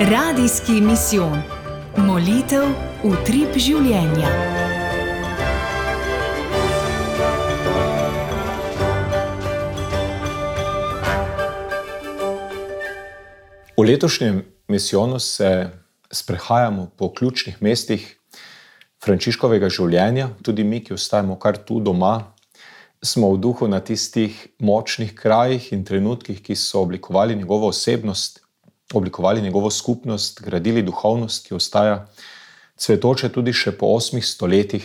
Radijski misijon. Molitev utrip življenja. V letošnjem misijonu se sprehajamo po ključnih mestih Frančiškovega življenja. Tudi mi, ki ostajamo kar tu doma, smo v duhu na tistih močnih krajih in trenutkih, ki so oblikovali njegovo osebnost, oblikovali njegovo skupnost, gradili duhovnost, ki ostaja cvetoče tudi še po 8 stoletjih.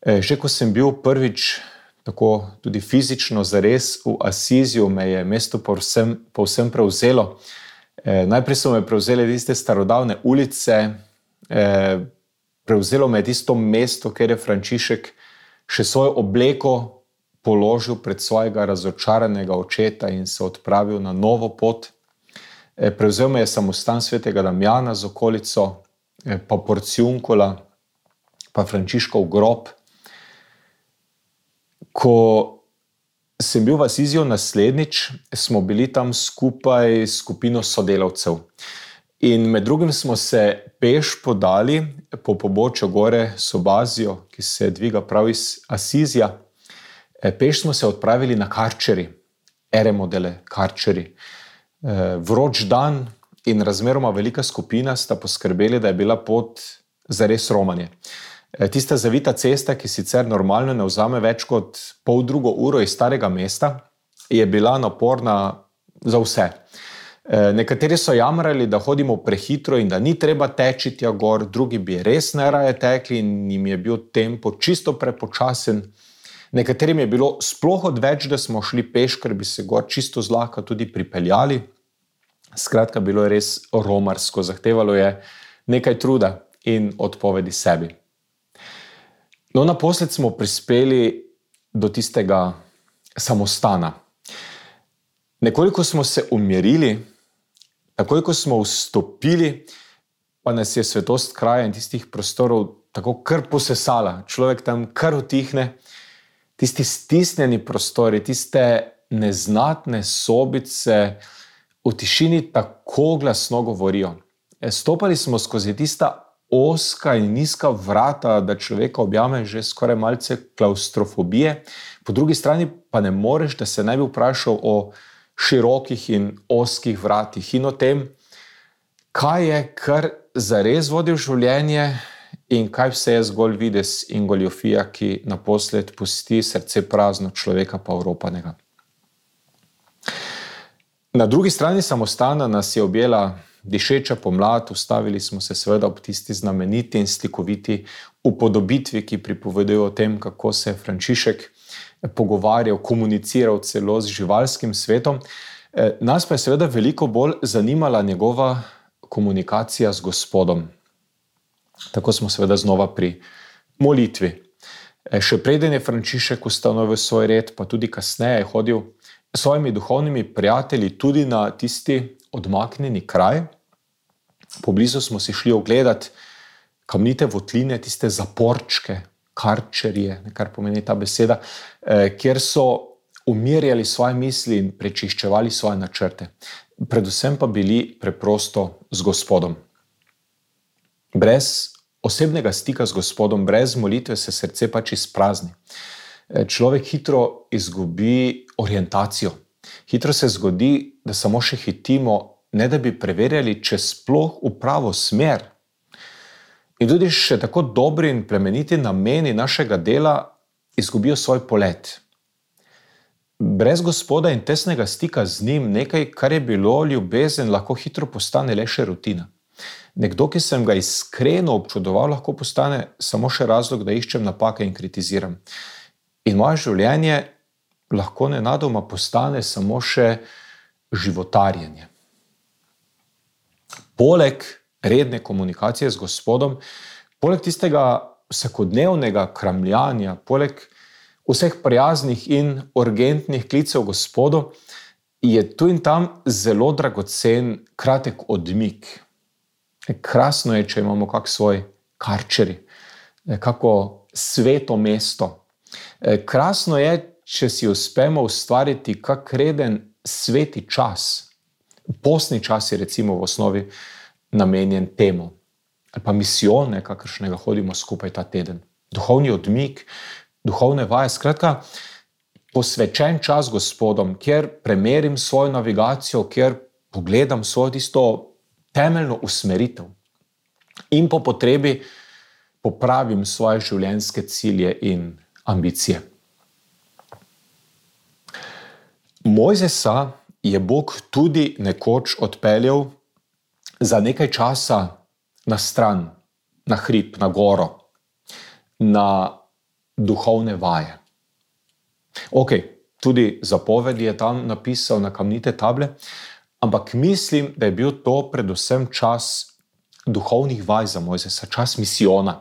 Že ko sem bil prvič tako tudi fizično zares v Asiziju, me je mesto povsem prevzelo. Najprej so me prevzele tiste starodavne ulice, prevzelo me je tisto mesto, kjer je Frančišek še svojo obleko položil pred svojega razočaranega očeta in se odpravil na novo pot. Prevzel me je samostan svetega Damjana z okolico, pa Porciunkola, pa Frančiškov grob. Ko sem bil v Asiziju naslednjič, smo bili tam skupaj s skupino sodelavcev. In med drugim smo se peš podali po pobočju gore Sobazijo, ki se dviga prav iz Asizija. Peš smo se odpravili na Karčeri, Eremodele Karčeri. Vroč dan in razmeroma velika skupina sta poskrbeli, da je bila pot zares romanje. Tista zavita cesta, ki sicer normalno ne vzame več kot poldrugo uro iz starega mesta, je bila naporna za vse. Nekateri so jamrali, da hodimo prehitro in da ni treba teči tja gor, drugi bi res najraje tekli in jim je bil tempo čisto prepočasen. Nekaterim je bilo sploh odveč, da smo šli peš, ker bi se gor čisto zlahka tudi pripeljali. Skratka, bilo je res romarsko, zahtevalo je nekaj truda in odpovedi sebi. No, naposled smo prispeli do tistega samostana. Nekoliko smo se umirili, takoj ko smo vstopili, pa nas je svetost kraja in tistih prostorov tako kar posesala. Človek tam kar utihne. Tisti stisnjeni prostori, tiste neznatne sobice v tišini tako glasno govorijo. Stopali smo skozi tista ozka in nizka vrata, da človeka objame že skoraj malce klaustrofobije. Po drugi strani pa ne moreš, da se ne bi vprašal o širokih in ozkih vratih in o tem, kaj je kar zares vodil življenje in kaj vse je zgolj videz in goljofija, ki naposled pusti srce prazno, človeka pa oropanega. Na drugi strani samostana nas je objela dišeča pomlad, ustavili smo se seveda ob tisti znameniti in slikoviti upodobitvi, ki pripovedujejo o tem, kako se je Frančišek pogovarjal, komuniciral celo z živalskim svetom. Nas pa je seveda veliko bolj zanimala njegova komunikacija z Gospodom. Tako smo seveda znova pri molitvi. Še preden je Frančišek ustanovil svoj red, pa tudi kasneje je hodil s svojimi duhovnimi prijatelji tudi na tisti odmaknjeni kraj. Poblizu smo si šli ogledati kamnite votline, tiste zaporčke, karčerije, kar pomeni ta beseda, kjer so umirjali svoje misli in prečiščevali svoje načrte. Predvsem pa bili preprosto z Gospodom. Brez osebnega stika z Gospodom, brez molitve se srce pač izprazni. Človek hitro izgubi orientacijo. Hitro se zgodi, da samo še hitimo, ne da bi preverjali, če sploh v pravo smer. In tudi še tako dobri in plemeniti nameni našega dela izgubijo svoj polet. Brez Gospoda in tesnega stika z njim, nekaj, kar je bilo ljubezen, lahko hitro postane le še rutina. Nekdo, ki sem ga iskreno občudoval, lahko postane samo še razlog, da iščem napake in kritiziram. In moje življenje lahko nenadoma postane samo še životarjenje. Poleg redne komunikacije z Gospodom, poleg tistega vsakodnevnega kramljanja, poleg vseh prijaznih in urgentnih klicev Gospodu, je tu in tam zelo dragocen kratek odmik. Krasno je, če imamo kak svoj karčeri, kako sveto mesto. Krasno je, če si uspemo ustvariti kak reden sveti čas. Postni čas je recimo v osnovi namenjen temu. Ali pa misijon, kakršnega hodimo skupaj ta teden. Duhovni odmik, duhovne vaje, skratka, posvečen čas Gospodom, kjer premerim svojo navigacijo, kjer pogledam svojo tisto temeljno usmeritev in po potrebi popravim svoje življenjske cilje in ambicije. Mojzesa je Bog tudi nekoč odpeljal za nekaj časa na stran, na hrib, na goro, na duhovne vaje. Tudi zapovedi je tam napisal na kamnite table, ampak mislim, da je bil to predvsem čas duhovnih vaj za Mojzesa, čas misijona.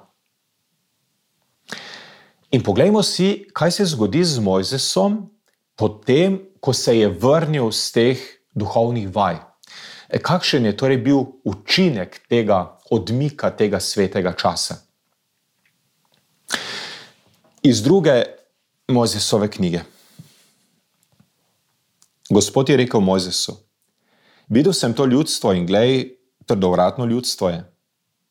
In poglejmo si, kaj se zgodi z Mojzesom potem, ko se je vrnil z teh duhovnih vaj. Kakšen je torej bil učinek tega odmika, tega svetega časa? Iz 2. Mojzesove knjige. Gospod je rekel Mojzesu: videl sem to ljudstvo in glej, trdovratno ljudstvo je.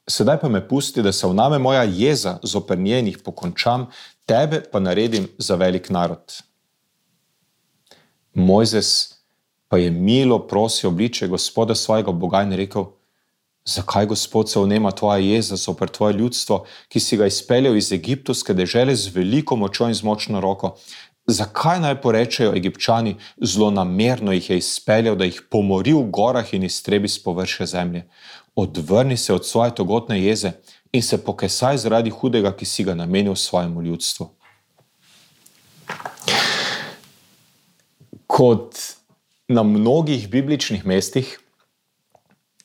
Sedaj pa me pusti, da se vname moja jeza zoper njenih pokončam, tebe pa naredim za velik narod. Mojzes pa je milo prosil obličje Gospoda svojega Boga in rekel: zakaj, Gospod, se vnema tvoja jeza zoper tvoje ljudstvo, ki si ga izpeljal iz egiptovske dežele z veliko močjo in z močno roko? Zakaj naj porečejo Egipčani, zlonamerno jih je izpeljal, da jih pomori v gorah in iztrebi s površja zemlje? Odvrni se od svoje togotne jeze in se pokesaj zaradi hudega, ki si ga namenil svojemu ljudstvu. Kot na mnogih bibličnih mestih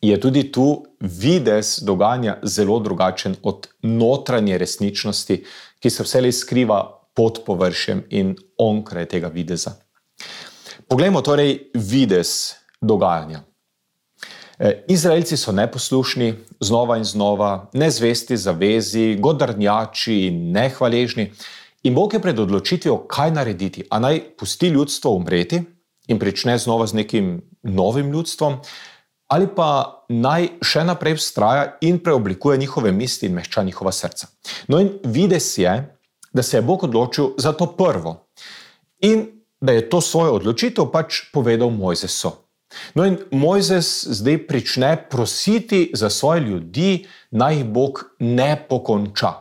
je tudi tu videz dogajanja zelo drugačen od notranje resničnosti, ki se vselej skriva pod površjem in onkraj tega videza. Poglejmo torej videz dogajanja. Izraelci so neposlušni, znova in znova, nezvesti zavezi, godrnjači in nehvaležni. In Bog je pred odločitvijo, kaj narediti. A naj pusti ljudstvo umreti in prične znova z nekim novim ljudstvom, ali pa naj še naprej vztraja in preoblikuje njihove misli in mehča njihova srca. No in videz je, da se je Bog odločil za to prvo in da je to svojo odločitev pač povedal Mojzesu. No in Mojzes zdaj prične prositi za svoje ljudi, naj jih Bog ne pokonča.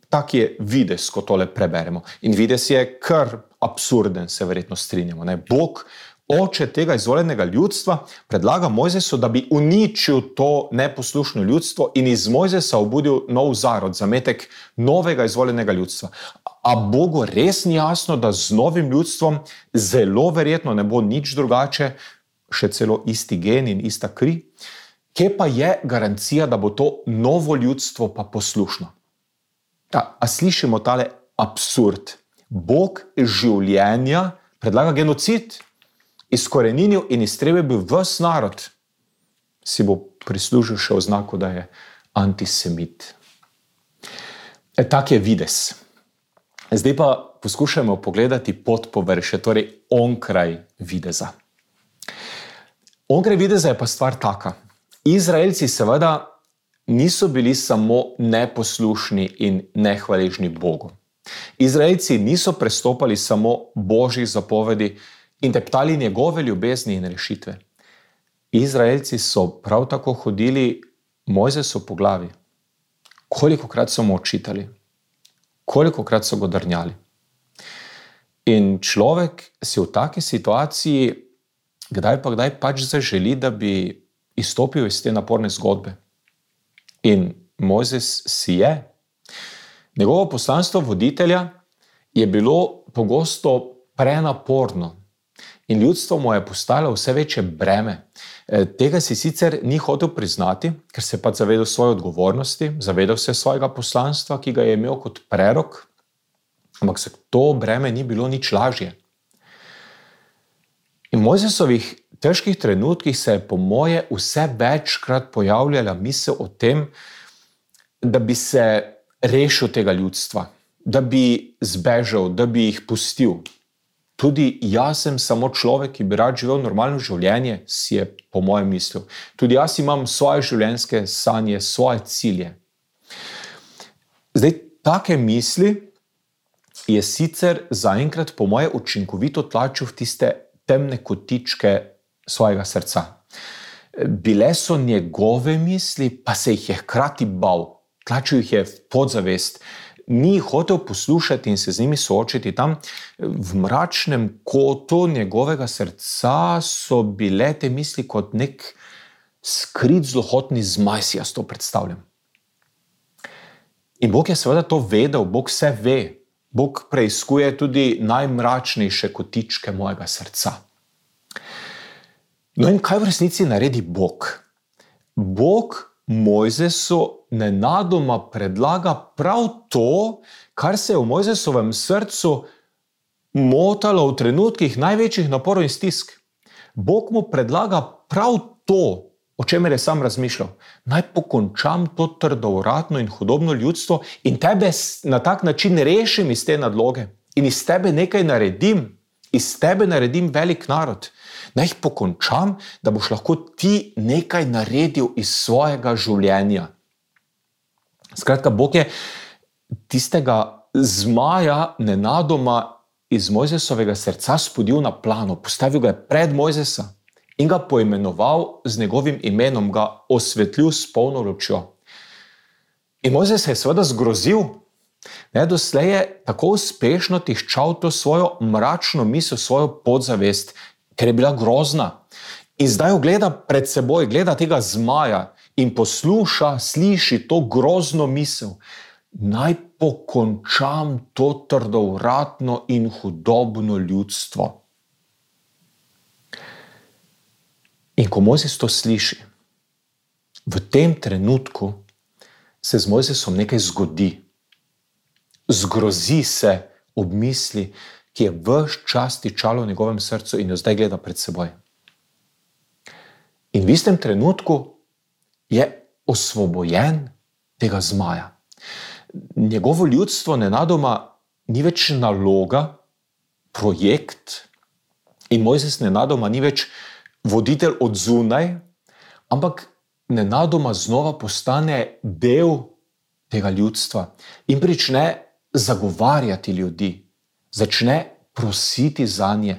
Tak je videz, ko tole preberemo. In videz je kar absurden, se verjetno strinjamo. Bog, oče tega izvoljenega ljudstva, predlaga Mojzesu, da bi uničil to neposlušno ljudstvo in iz Mojzesa obudil nov zarod, zametek novega izvoljenega ljudstva. A Bogu res ni jasno, da z novim ljudstvom zelo verjetno ne bo nič drugače, še celo isti gen in ista kri? Kje pa je garancija, da bo to novo ljudstvo pa poslušno? A slišimo tale absurd. Bog življenja predlaga genocid, izkoreninil in iztrebil bi ves narod. Si bo prislužil še oznako, da je antisemit. Tak je videz. Zdaj pa poskušajmo pogledati pod površje, torej onkraj videza. Onkraj videza je pa stvar taka. Izraelci seveda niso bili samo neposlušni in nehvaležni Bogu. Izraelci niso prestopali samo Božjih zapovedi in teptali njegove ljubezni in rešitve. Izraelci so prav tako hodili Mojzesu po glavi. Kolikokrat so mu očitali, kolikokrat so ga drnjali. In človek si v taki situaciji kdaj pač zaželi, da bi izstopil iz te naporne zgodbe. In Mojzes si je. Njegovo poslanstvo voditelja je bilo pogosto prenaporno in ljudstvo mu je postalo vse večje breme. Tega si sicer ni hotel priznati, ker se pa zavedal svoje odgovornosti, zavedal se svojega poslanstva, ki ga je imel kot prerok, ampak se to breme ni bilo nič lažje. In v Mojzesovih težkih trenutkih se je po moje vse večkrat pojavljala misel o tem, da bi se rešil tega ljudstva, da bi zbežal, da bi jih pustil. Tudi jaz sem samo človek, ki bi rad živel normalno življenje, si je po mojem mislil. Tudi jaz imam svoje življenjske sanje, svoje cilje. Zdaj, take misli je sicer zaenkrat po moje učinkovito tlačil v tiste temne kotičke svojega srca. Bile so njegove misli, pa se jih je hkrati bal. Tlačil jih je v podzavest. Ni hotel poslušati in se z njimi soočiti. Tam v mračnem kotu njegovega srca so bile te misli kot nek skrit zlohotni zmaj, si jaz to predstavljam. In Bog je seveda to vedel, Bog vse ve. Bog preiskuje tudi najmračnejše kotičke mojega srca. No in kaj v resnici naredi Bog? Bog Mojzesu nenadoma predlaga prav to, kar se je v Mojzesovem srcu motalo v trenutkih največjih naporov in stisk. Bog mu predlaga prav to, o čemer je sam razmišljal. Naj pokončam to trdovratno in hudobno ljudstvo in tebe na tak način rešim iz te nadloge in iz tebe nekaj naredim, iz tebe naredim velik narod. Naj jih pokončam, da boš lahko ti nekaj naredil iz svojega življenja. Skratka, Bog je tistega zmaja nenadoma iz Mojzesovega srca spodil na plano, postavil ga je pred Mojzesa in ga poimenoval z njegovim imenom, ga osvetlil s polno lučjo. In Mojzes se je seveda zgrozil. Doslej je tako uspešno tiščal to svojo mračno misel, svojo podzavest, ker je bila grozna. In zdaj jo gleda pred seboj, gleda tega zmaja in posluša, sliši to grozno misel. Naj pokončam to trdovratno in hudobno ljudstvo. In ko Mojzes to sliši, v tem trenutku se z Mojzesom nekaj zgodi. Zgrozi se ob misli, ki je ves čas tičalo v njegovem srcu in jo zdaj gleda pred seboj. In v istem trenutku je osvobojen tega zmaja. Njegovo ljudstvo nenadoma ni več naloga, projekt in Mojzes nenadoma ni več voditelj od zunaj, ampak nenadoma znova postane del tega ljudstva in prične zagovarjati ljudi. Začne prositi zanje.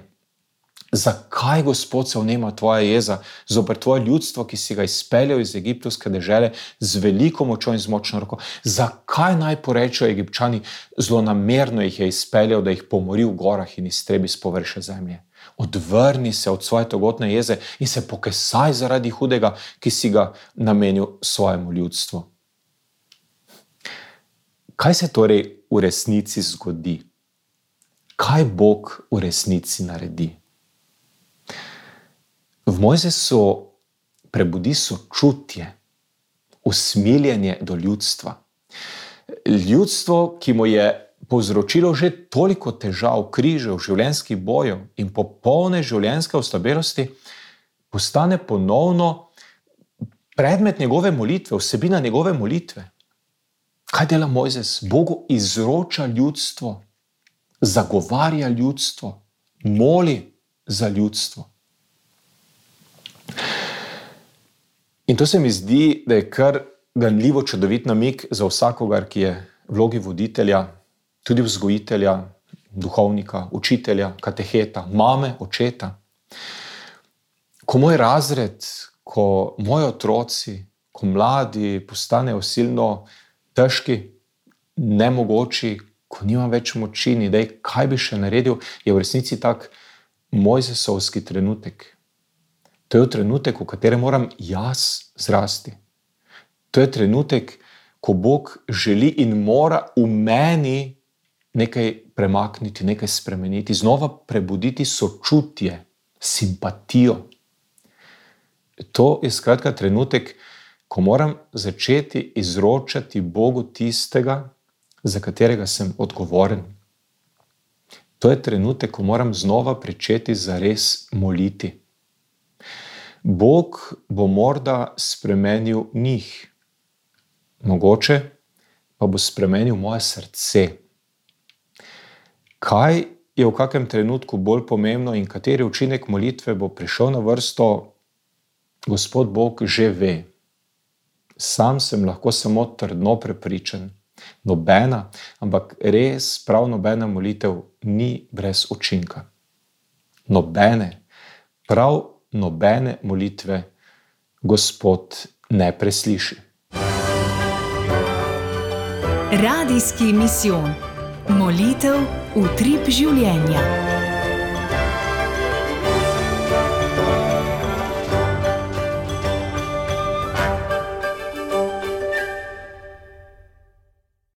Zakaj, Gospod, se vnema tvoja jeza zoper tvoje ljudstvo, ki si ga izpeljal iz egiptovske dežele z veliko močjo in z močno roko? Zakaj naj porečejo Egipčani, zlonamerno jih je izpeljal, da jih pomori v gorah in iztrebi s površja zemlje? Odvrni se od svoje togotne jeze in se pokesaj zaradi hudega, ki si ga namenil svojemu ljudstvu. Kaj se torej v resnici zgodi? Kaj Bog v resnici naredi? V Mojzesu prebudi sočutje, usmiljenje do ljudstva. Ljudstvo, ki mu je povzročilo že toliko težav, križev, življenjskih bojev in popolne življenjske oslabelosti, postane ponovno predmet njegove molitve, vsebina njegove molitve. Kaj dela Mojzes? Bogu izroča ljudstvo, zagovarja ljudstvo, moli za ljudstvo. In to se mi zdi, da je kar ganljivo čudovit namig za vsakogar, ki je v vlogi voditelja, tudi vzgojitelja, duhovnika, učitelja, kateheta, mame, očeta. Ko moj razred, ko moji otroci, ko mladi postanejo silno težki, nemogoči, ko nimam več moči, ni idej, kaj bi še naredil, je v resnici tak mojzesovski trenutek. To je trenutek, v katerem moram jaz zrasti. To je trenutek, ko Bog želi in mora v meni nekaj premakniti, nekaj spremeniti, znova prebuditi sočutje, simpatijo. To je skratka trenutek, ko moram začeti izročati Bogu tistega, za katerega sem odgovoren. To je trenutek, ko moram znova pričeti zares moliti. Bog bo morda spremenil njih, mogoče pa bo spremenil moje srce. Kaj je v kakem trenutku bolj pomembno in kateri učinek molitve bo prišel na vrsto, Gospod Bog že ve. Sam sem lahko samo trdno prepričan. Nobena, ampak res prav nobena molitev ni brez učinka. Nobene, prav nobene molitve Gospod ne presliši. Radijski misijon. Molitev utrip življenja.